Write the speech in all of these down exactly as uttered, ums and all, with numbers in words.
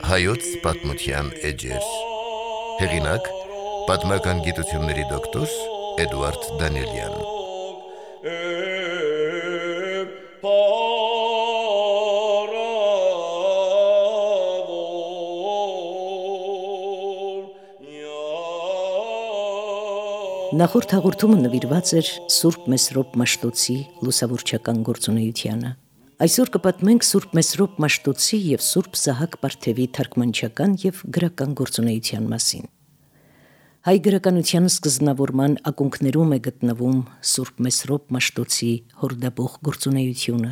Հայոց պատմության էջեր։ Հեղինակ՝ պատմական գիտությունների դոկտոր Էդուարդ Դանիելյան։ Նախորդ հաղորդումը նվիրված էր Սուրբ Մեսրոպ Մաշտոցի լուսավորչական գործունեությանը։ Այսօր կպատմենք Սուրբ Մեսրոպ Մաշտոցի և Սուրբ Սահակ Պարթևի թարգմանչական և գրական գործունեության մասին։ Հայ գրականության սկզբնավորման ակունքներում է գտնվում Սուրբ Մեսրոպ Մաշտոցի հորդաբող գործունեությունը,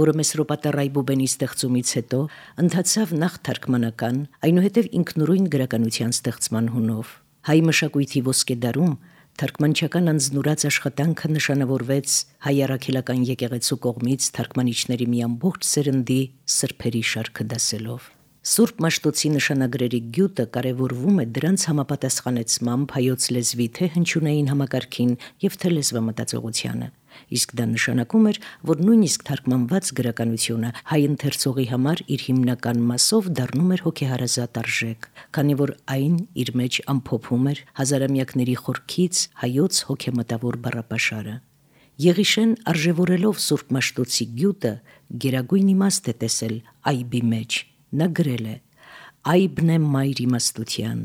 որը Մեսրոպատառ Այբուբենի ստեղծումից հետո ընթացավ նախ թարգմանական, այնուհետև ինքնուրույն գրականության ստեղծման հունով։ Հայ մշակույթի ոսկեդարում թարգմանչական անձնուրաց աշխատանքը նշանավորվեց հայ առաքելական եկեղեցու կողմից թարգմանիչների մի ամբողջ սերնդի սրբերի շարքը դասելով։ Սուրբ Մաշտոցի նշանագրերի գյուտը կարևորվում է դրանց համապատասխանեցմամբ հայոց լեզվի թե հնչյունային համակարգին և թե լեզվամտածողությանը, իսկ դա նշանակում էր, որ նույնիսկ թարգմանված գրականությունը հայ ընթերցողի համար իր հիմնական մասով դառնում էր հոգեհարազատ արժեք, քանի որ այն իր մեջ ամփոփում էր հազարամյակների խորքից հայոց հոգեմտավոր բառապաշարը։ Եղիշեն, արժևորելով Սուրբ Մաշտոցի գյուտը, գերագույն իմաստ է տեսել այբի մեջ։ Նա գրել է. «Այբն է մայր իմաստության,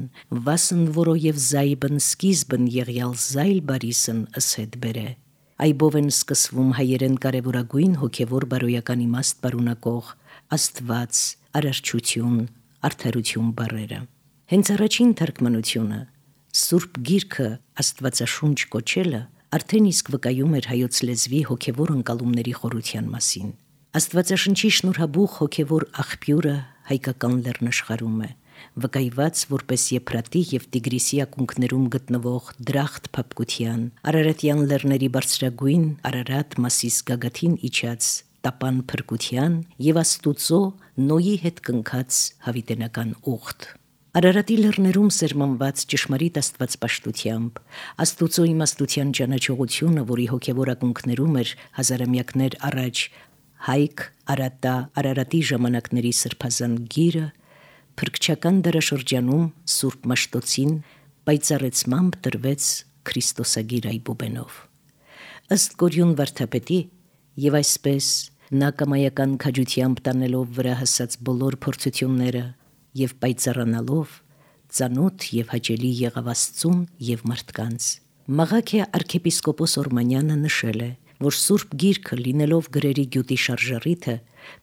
վասն որոև զայբն սկիզբն եղյալ զայլ բարիսն ըսհետ բերե»։ Այբով են սկսվում հայերեն կարևորագույն հոգևոր բարոյական իմաստ պարունակող Աստված, արարչություն, արդարություն բառերը։ Հենց առաջին թարգմանությունը Սուրբ Գիրքը Աստվածաշունչ կոչելը արդեն իսկ վկայում էր հայոց լեզվի հոգևոր ընկալումների խորության մասին։ Աստվածաշնչի շնորհաբուխ հոգևոր աղբյուրը հայկական լեռնաշխարհում է, վկայված որպես Եփրատի և Տիգրիսի ակունքներում գտնվող դրախտ փափկության, Արարատյան լեռների բարձրագույն Արարատ մասիս գագաթին իջած տապան փրկության և Աստուծո Նոյի հետ կնքած հավիտենական ուխտ։ Արարատի լեռներում սերմանված ճշմարիտ աստվածպաշտությամբ, Աստուծո իմաստության ճանաչողությունը, որի հոգևոր ակունքներում էր հազարամյակներ առաջ Հայք, Արատա, Արարատի ժամանակների սրբազան գիրը, փրկչական դարաշրջանում Սուրբ Մաշտոցին պայծառեցմամբ տրվեց Քրիստոսագիր Այբուբենով։ Ըստ Կորյուն վարդապետի, և այսպես նա կամայական քաջությամբ տանելով վրա հասած բոլոր փորձությունները և պայծառանալով ծանոթ և հաճելի եղավ Աստծուն և մարդկանց։ Մաղաքիա արքեպիսկոպոս Օրմանյանը նշել է, որ Սուրբ Գիրքը լինելով գրերի գյուտի շարժառիթը,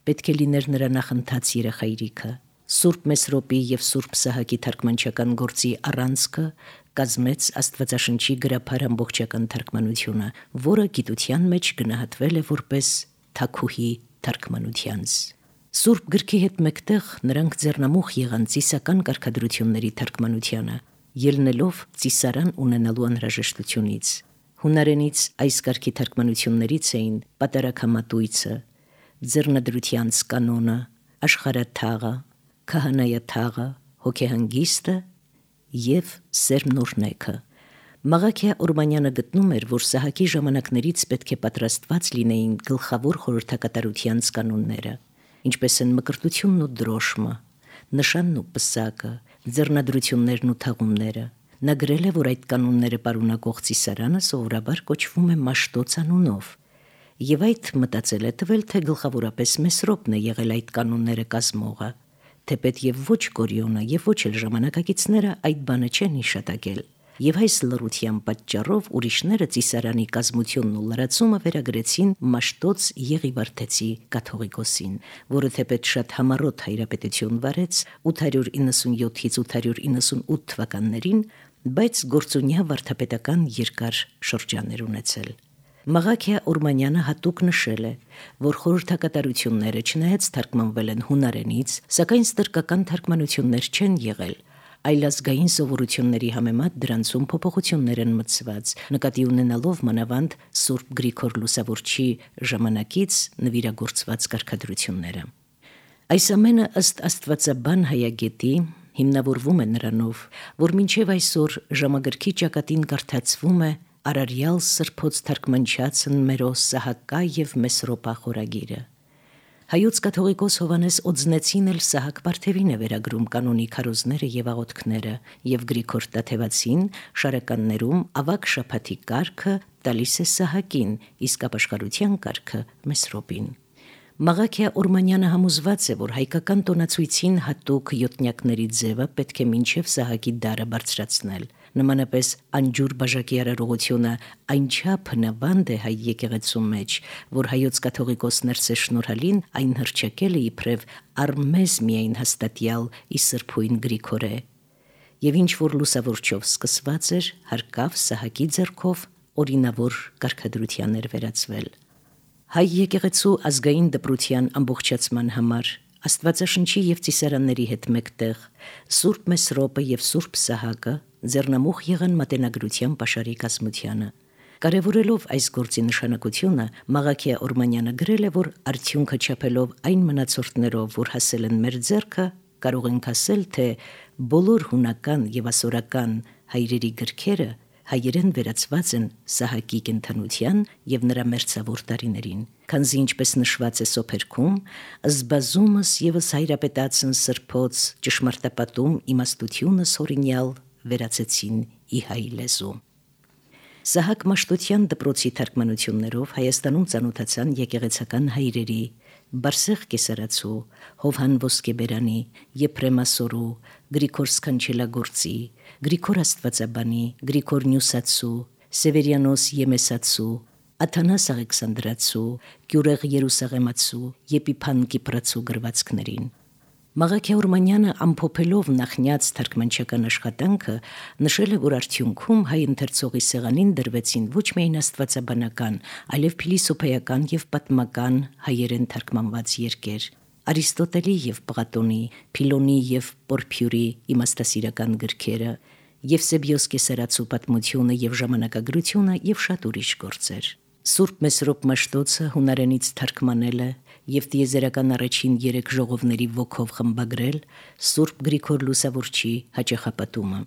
պետք է լիներ նրա նախընթաց երախայրիքը։ Սուրբ Մեսրոպի և Սուրբ Սահակի թարգմանչական գործի առանցքը կազմեց Աստվածաշնչի գրաբար ամբողջական թարգմանությունը, որը գիտության մեջ գնահատվել է որպես թագուհի թարգմանությանց։ Սուրբ Գրքի հետ մեկտեղ նրանք ձեռնամուխ եղան ծիսական կարգադրությունների թարգմանությանը, ելնելով ծիսարան ունենալու անհրաժեշտությունից։ Հունարենից այս կարգի թարգմանություններից էին Պատարագամատույցը, Ձեռնադրությանց կանոնը, Աշխարհաթաղը, Քահանայաթաղը, Հոգեհանգիստը և Սերմնորնեքը։ Մաղաքիա Օրմանյանը գտնում էր, որ Սահակի ժամանակներից պետք է պատրաստված լինեին գլխավոր խորհրդակատարությանց կանոնները, ինչպես են մկրտությունն ու դրոշմը, նշանն ու պսակը, ձեռնադրություններն ու թաղումները։ Նա գրել է, որ այդ կանոնները պարունակող ծիսարանը սովորաբար կոչվում է Մաշտոց անունով, և այդ մտածել է տվել, թե գլխավորապես Մեսրոպն է եղել այդ կանոնները կազմողը, թեպետ և ոչ Կորյոնը և ոչ էլ ժամանակակիցները այդ բանը չեն հիշատակել, և այս լռության պատճառով ուրիշները ծիսարանի կազմությունն ու լրացումը վերագրեցին Մաշտոց Եղիվարդեցի կաթողիկոսին, որը թեպետ շատ համառոտ հայրապետություն վարեց ութ հարյուր իննսունյոթից ութ հարյուր իննսունութ թվականներին, բայց գործունյա վարդապետական երկար շրջան էր ունեցել։ Մաղաքիա Օրմանյանը հատուկ նշել է, որ խորհրդակատարությունները չնայած թարգմանվել են հունարենից, սակայն ստրկական թարգմանություններ չեն եղել, այլ ազգային սովորությունների համեմատ դրանցում փոփոխություններ են մտցված, նկատի ունենալով մանավանդ Սուրբ Գրիգոր Լուսավորչի ժամանակից նվիրագործված կարգադրությունները։ Այս ամենը ըստ աստվածաբան հայագետի հիմնավորվում է նրանով, որ մինչև այսօր ժամագրքի ճակատին կարդացվում է Արարյալ Սրբոց թարգմանչացն մերո Սահակա և Մեսրոպա խորագիրը։ Հայոց կաթողիկոս Հովանես Օձնեցին էլ Սահակ Պարթևին է վերագրում կանոնի քարոզները եւ աղոթքները եւ Գրիգոր Տաթևացին շարականներում ավակ շաբաթի կարգը տալիս է Սահակին, իսկ ապաշխարության կարգը Մեսրոպին։ Մաղաքիա Օրմանյանը համոզված է, որ հայկական տոնացույցին հատուկ յոթնյակների ձևը պետք է մինչև Սահակի դարը բարձրացնել։ Նմանապես անջուր բաժակի արարողությունը այնչափ հնավանդ է հայ եկեղեցու մեջ, որ հայոց կաթողիկոս Ներսե Շնորհալին այն հռչակել է իբրև առմեզ միայն հաստատյալ ի սրբույն Գրիգորե։ Եվ ինչ որ լուսավորչով սկսված էր, հարկավ Սահակի ձեռքով օրինավոր կարգադրության էր վերածվել։ Հայ եկեղեցու ազգային դպրության ամբողջացման համար Աստվածաշնչի եւ ծիսարանների հետ մեկտեղ Սուրբ Մեսրոպը եւ Սուրբ Սահակը ձեռնամուխ եղան մատենագրության պաշարի կազմությանը։ Կարևորելով այս գործի նշանակությունը, Մաղաքիա Օրմանյանը գրել է, որ արդյունքը չափելով այն մնացորդներով, որ հասել են մեր ձեռքը, կարող ենք ասել, թե բոլոր հունական եւ ասորական հայրերի գրքերը հայերեն վերածված են Սահակի կենդանության եւ նրա մերձավոր տարիներին, քանզի ինչպես նշված է Սոփերքում, զբազումս եւս հայրապետացն սրբոց ճշմարտապատում իմաստությունը սորինյալ վերածեցին ի հայ լեզու։ Սահակ Մաշտոցյան դպրոցի թարգմանություններով Հայաստանում ծանոթացան եկեղեցական հայրերի Բարսեղ Կեսարացու, Հովհան Ոսկեբերանի, Եփրեմ Ասորու, Գրիգոր Սքանչելագործի, Գրիգոր Աստվածաբանի, Գրիգոր Նյուսացու, Սևերյանոս Եմեսացու, Աթանաս Աղեքսանդրացու, Գյուրեղ Երուսաղեմացու, Եփիփան Կիպրացու գրվածքներին։ Մաղաքիա Օրմանյանը ամփոփելով նախնյաց թարգմանչական աշխատանքը նշել է, որ արդյունքում հայ ընթերցողի սեղանին դրվեցին ոչ միայն աստվածաբանական, այլև փիլիսոփայական եւ պատմական հայերեն թարգմանված երկեր։ Արիստոտելի եւ Պլատոնի, Փիլոնի եւ Պորփյուրի իմաստասիրական գրքերը, Եվսեբիոս Կեսարացու պատմությունը եւ ժամանակագրությունը եւ շատ ուրիշ գործեր։ Սուրբ Մեսրոպ Մաշտոցը հունարենից թարգմանել է եւ տիեզերական առաջին երեք ժողովների ոգով խմբագրել Սուրբ Գրիգոր Լուսավորչի հաճախապատումը։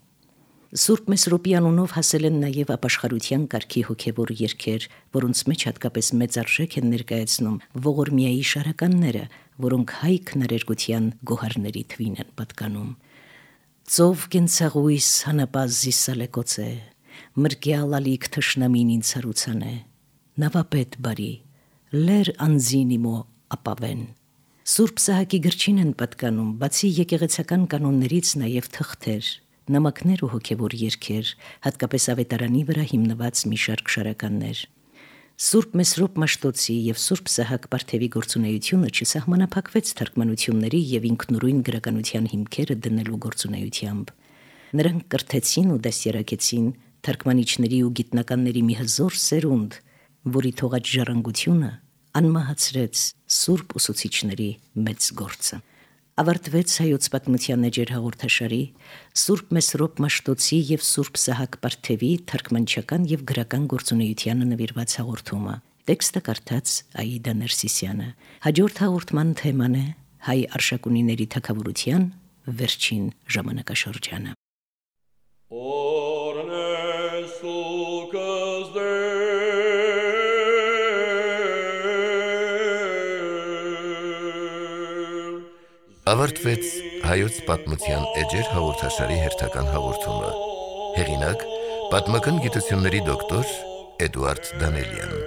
Սուրբ Մեսրոպի անունով հասել են նաեւ ապաշխարության կարգի հոգեվոր երգեր, որոնց մեջ հատկապես մեծ արժեք են ներկայացնում ողորմիայի շարականները, որոնք հայ քնարերգության գոհարների թվին են պատկանում։ Ծով կենցաղույս հանապազ զիսալեկոց է, մրկյալ ալիք թշնամին ինձ հարուցան է, նավապետ բարի, լեր անձին իմո ապավեն։ Սուրբ Սահակի գրչին են պատկանում, բացի եկեղեցական կանոններից նաև թղթեր, նամակներ ու հոգևոր երգեր, հատկապես ավետարանի վրա հիմնված մի շարք շարականներ։ Սուրբ Մեսրոպ Մաշտոցի եւ Սուրբ Սահակ Պարթևի գործունեությունը չսահմանափակվեց թարգմանությունների եւ ինքնուրույն գրականության հիմքերը դնելու գործունեությամբ։ Նրանք կրթեցին ու դասերակեցին թարգմանիչների ու գիտնականների մի հզոր սերունդ, որի թողած ժառանգությունը անմահացրեց սուրբ ուսուցիչների մեծ գործը։ Ավարտվեց հայոց պատմության էջեր հաղորդաշարի Սուրբ Մեսրոպ Մաշտոցի եւ Սուրբ Սահակ Պարթևի թարգմանչական եւ գրական գործունեությանը նվիրված հաղորդումը։ Տեքստը կարդաց Աիդա Ներսիսյանը։ Հաջորդ հաղորդման թեման է հայ արշակունիների թագավորության վերջին ժամանակաշրջանը։ Ավարտվեց հայոց պատմության էջեր հաղորդաշարի հերթական հաղորդումը։ Հեղինակ՝ պատմական գիտությունների դոկտոր Էդուարդ Դանելյան։